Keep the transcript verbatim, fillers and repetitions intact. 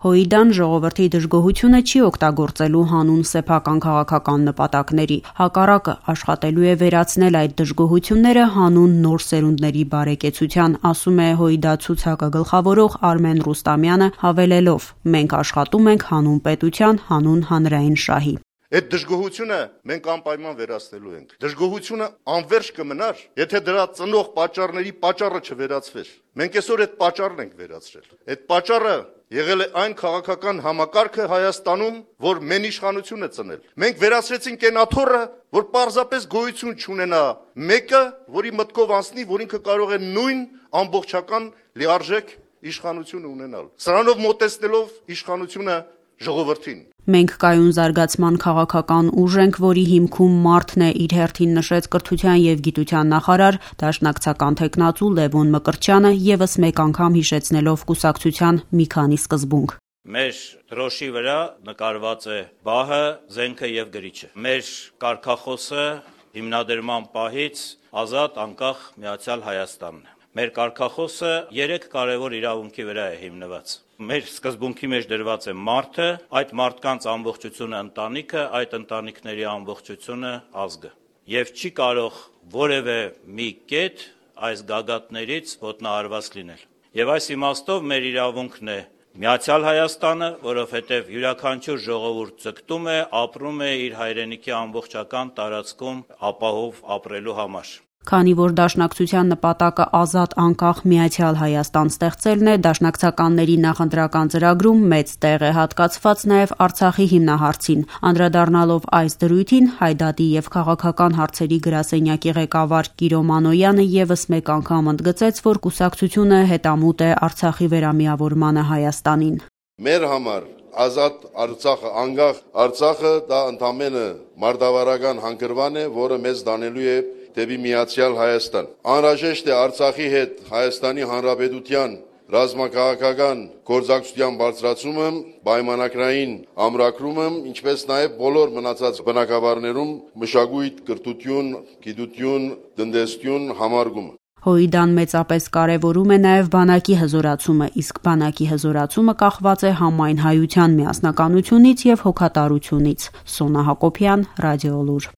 Հոիդան ժողովրդի դժգոհությունը չի օգտագործելու հանուն սեփական քաղաքական նպատակների, հակառակը աշխատելու է վերացնել այդ դժգոհությունները հանուն նոր սերունդների բարեկեցության, ասում է Հոիդա ցուցակը գլխավորող Արմեն Ռուստամյանը, հավելելով. «Մենք աշխատում ենք հանուն պետության, հանուն հանրային շահի»։ Այդ դժգոհությունը մենք անպայման վերացնելու ենք։ Դժգոհությունը անverջ կմնար, եթե դրա ծնող պատճառների պատճառը չվերացվեր։ Մենք այսօր այդ պատճառն ենք վերացրել։ Այդ պատճառը եղել է այն քաղաքական համակարգը Հայաստանում, որ մեն իշխանություն է ծնել։ Մենք վերացրեցինք այն աթոռը, որ պարզապես գոյություն չունենա մեկը, որի մտքով անցնի, որ ինքը կարող է նույն ամբողջական լիարժեք իշխանություն ունենալ։ Սրանով մոտեցնելով իշխանությունը ժողովրդին։ Մենք կայուն զարգացման քաղաքական ուժ ենք, որի հիմքում մարդն է, իր հերթին նշեց կրթության և գիտության նախարար, դաշնակցական թեկնածու Լևոն Մկրտչյանը, ևս մեկ անգամ հիշեցնելով կուսակցության մի քանի սկզբունք։ Մեր դրոշի վրա նկարված է բահը, զենքը և գրիչը։ Մեր կարգախոսը հիմնադրման պահից ազատ, անկախ, միացյալ Հայաստանն է։ Մեր կարգախոսը երեք կարևոր իրավունքի վրա է հիմնված։ Մեր սկզբունքի մեջ դրված է մարդը, այդ մարդկանց ամբողջությունը ընտանիքը, այդ ընտանիքների ամբողջությունը ազգը։ Եվ չի կարող որևէ մի կետ այս գագաթներից ոտնահարված լինել։ Եվ այս իմաստով մեր իրավունքն է միացյալ Հայաստանը, որովհետև յուրաքանչյուր ժողովուրդ ձգտում է, ապրում է իր հայրենիքի ամբողջական տարածքում ապահով ապրելու համար։ Քանի որ դաշնակցության նպատակը ազատ, անկախ, միացյալ Հայաստան ստեղծելն է, դաշնակցականների նախընտրական ծրագրում մեծ տեղ է հատկացված նաև Արցախի հիմնահարցին։ Անդրադառնալով այս դրույթին, Հայդատի և քաղաքական հարցերի գրասենյակի ղեկավար Կիրո Մանոյանը ևս մեկ անգամ ընդգծեց, որ կուսակցությունը հետամուտ է Արցախի վերամիավորմանը Հայաստանին։ Մեր համար ազատ Արցախը, անկախ Արցախը դա ընդամենը մարտավարական հանգրվան է, որը մեզ դանելու է դեպի միացյալ Հայաստան։ Անհրաժեշտ է Արցախի հետ Հայաստանի Հանրապետության ռազմաքաղաքական գործակցության բարձրացումը, պայմանագրային ամրագրումը, ինչպես նաև բոլոր մնացած բնակավարներում մշակույթ, կրթություն, գիտություն, տնտեսություն համարգումը։ Հոիդան մեծապես կարևորում է նաև բանակի հզորացումը, իսկ բանակի հզորացումը կախված է համայն հայության միասնականությունից և հոգատարությունից։ Սոնա Հակոբյան, Ռադիոլուր։